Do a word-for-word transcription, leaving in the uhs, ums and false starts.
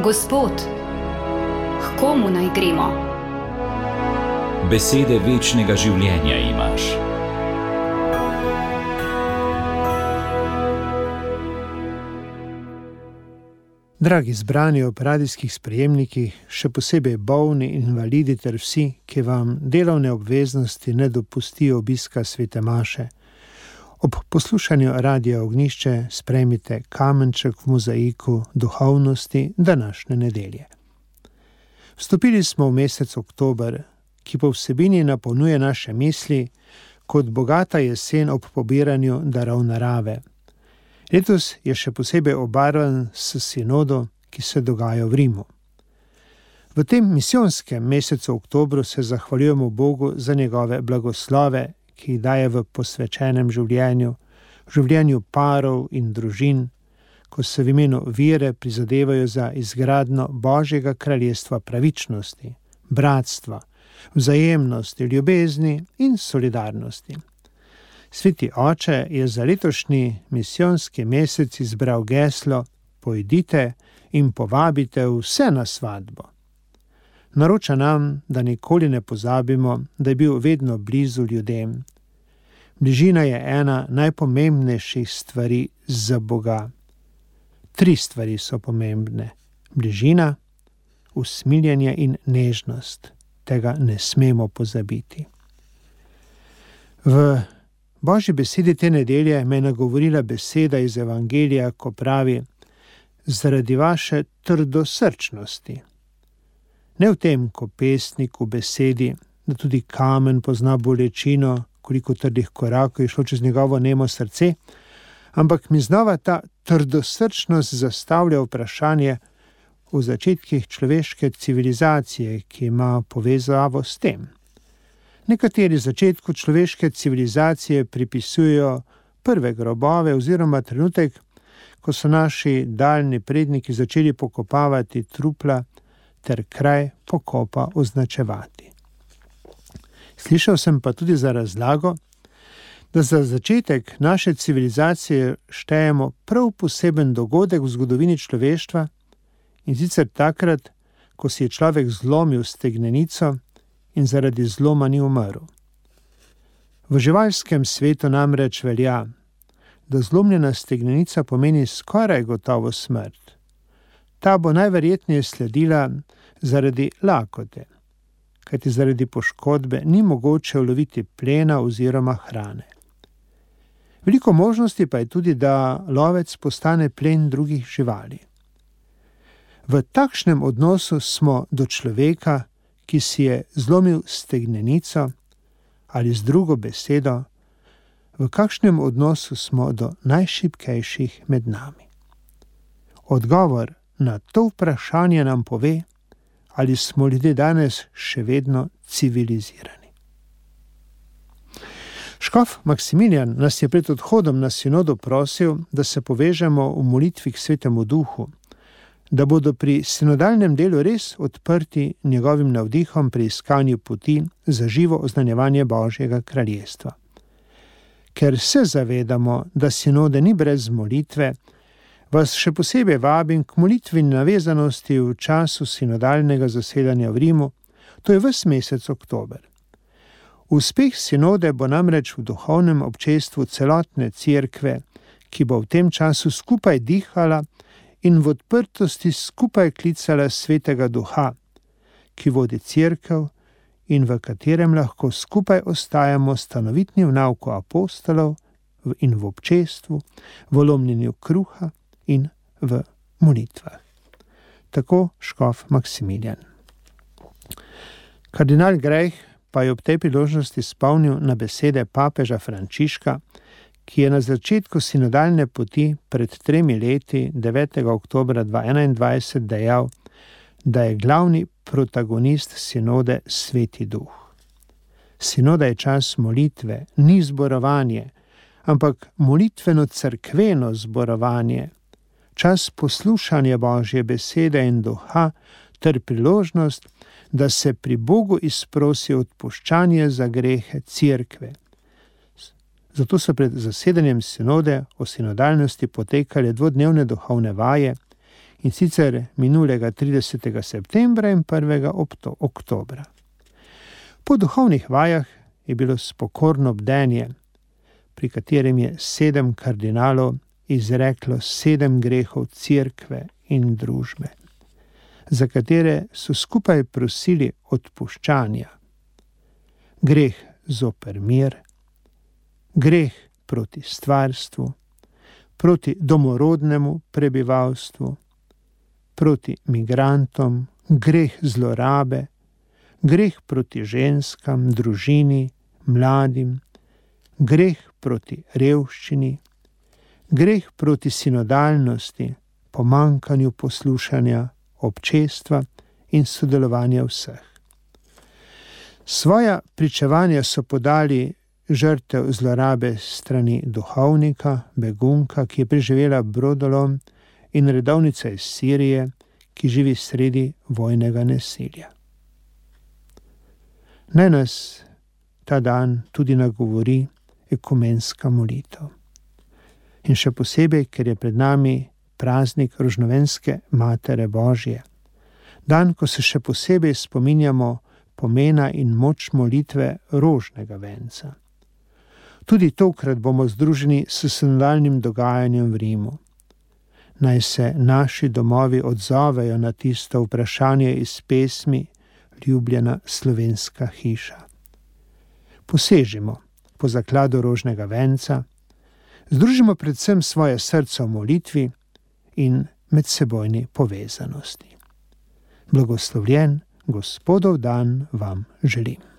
Gospod, k komu naj gremo? Besede večnega življenja imaš. Dragi zbrani ob radijskih sprejemnikih, še posebej bolni in invalidi ter vsi, ki vam delovne obveznosti ne dopustijo obiska svete maše, ob poslušanju Radia Ognjišče sprejmite kamenček v mozaiku duhovnosti današnje nedelje. Vstopili smo v mesec oktober, ki po vsebini napolnjuje naše misli kot bogata jesen ob pobiranju darov narave. Letos je še posebej obarvan s sinodo, ki se dogaja v Rimu. V tem misijonskem mesecu oktobru se zahvaljujemo Bogu za njegove blagoslove, ki jih daje v posvečenem življenju, življenju parov in družin, ko se v imenu vere prizadevajo za izgradnjo Božjega kraljestva pravičnosti, bratstva, vzajemnosti, ljubezni in solidarnosti. Sveti oče je za letošnji misijonski mesec izbral geslo Pojdite in povabite vse na svadbo. Naroča nam, da nikoli ne pozabimo, da je bil vedno blizu ljudem. Bližina je ena najpomembnejših stvari za Boga. Tri stvari so pomembne. Bližina, usmiljenje in nežnost. Tega ne smemo pozabiti. V Božji besedi te nedelje me je nagovorila beseda iz Evangelija, ko pravi: zaradi vaše trdosrčnosti. Ne v tem, ko pesnik v besedi, da tudi kamen pozna bolečino, koliko trdih korakov je šlo čez njegovo nemo srce, ampak mi znova ta trdosrčnost zastavlja vprašanje v začetkih človeške civilizacije, ki ima povezavo s tem. Nekateri začetku človeške civilizacije pripisujejo prve grobove oziroma trenutek, ko so naši daljni predniki začeli pokopavati trupla ter kraj pokopa označevati. Slišal sem pa tudi za razlago, da za začetek naše civilizacije štejemo prav poseben dogodek v zgodovini človeštva, in sicer takrat, ko si je človek zlomil stegnenico in zaradi zloma ni umrl. V živalskem svetu namreč velja, da zlomljena stegnenica pomeni skoraj gotovo smrt. Ta bo najverjetneje sledila zaradi lakote, kajti zaradi poškodbe ni mogoče uloviti plena oziroma hrane. Veliko možnosti pa je tudi, da lovec postane plen drugih živali. V takšnem odnosu smo do človeka, ki si je zlomil stegnenico, ali z drugo besedo, v kakšnem odnosu smo do najšibkejših med nami. Odgovor na to vprašanje nam pove, ali smo ljudje danes še vedno civilizirani. Škof Maksimilijan nas je pred odhodom na sinodo prosil, da se povežemo v molitvi k Svetemu Duhu, da bodo pri sinodalnem delu res odprti njegovim navdihom pri iskanju poti za živo oznanjevanje Božjega kraljestva. Ker se zavedamo, da sinode ni brez molitve, vas še posebej vabim k molitvi navezanosti v času sinodalnega zasedanja v Rimu, to je ves mesec oktober. Uspeh sinode bo namreč v duhovnem občestvu celotne cerkve, ki bo v tem času skupaj dihala in v odprtosti skupaj klicala Svetega Duha, ki vodi cerkev in v katerem lahko skupaj ostajamo stanovitni v nauku apostolov in v občestvu, v lomljenju kruha in v molitvah. Tako škof Maksimilijan. Kardinal Greh pa je ob tej priložnosti spomnil na besede papeža Frančiška, ki je na začetku sinodalne poti pred tremi leti, devetega oktobra dva tisoč enaindvajset, dejal, da je glavni protagonist sinode Sveti Duh. Sinoda je čas molitve, ni zborovanje, ampak molitveno-cerkveno zborovanje, čas poslušanja Božje besede in duha ter priložnost, da se pri Bogu izprosi odpuščanje za grehe cerkve. Zato so pred zasedanjem sinode o sinodalnosti potekale dvodnevne duhovne vaje, in sicer minulega tridesetega septembra in prvega oktobra. Po duhovnih vajah je bilo spokorno bdenje, pri katerem je sedem kardinalov izreklo sedem grehov cerkve in družbe, za katere so skupaj prosili odpuščanja. Greh zoper mir, greh proti stvarstvu, proti domorodnemu prebivalstvu, proti migrantom, greh zlorabe, greh proti ženskam, družini, mladim, greh proti revščini, greh proti sinodalnosti, pomanjkanju poslušanja občestva in sodelovanja vseh. Svoja pričevanja so podali žrtev zlorabe strani duhovnika, begunka, ki je preživela brodolom, in redovnica iz Sirije, ki živi sredi vojnega nasilja. Naj nas ta dan tudi nagovori ekumenska molitev. In še posebej, ker je pred nami praznik Rožnovenske Matere Božje. Dan, ko se še posebej spominjamo pomena in moč molitve rožnega venca. Tudi tokrat bomo združeni s sinodalnim dogajanjem v Rimu. Naj se naši domovi odzovejo na tisto vprašanje iz pesmi Ljubljena slovenska hiša. Posežimo po zakladu rožnega venca, združimo predvsem svoje srce v molitvi in medsebojni povezanosti. Blagoslovljen Gospodov dan vam želim.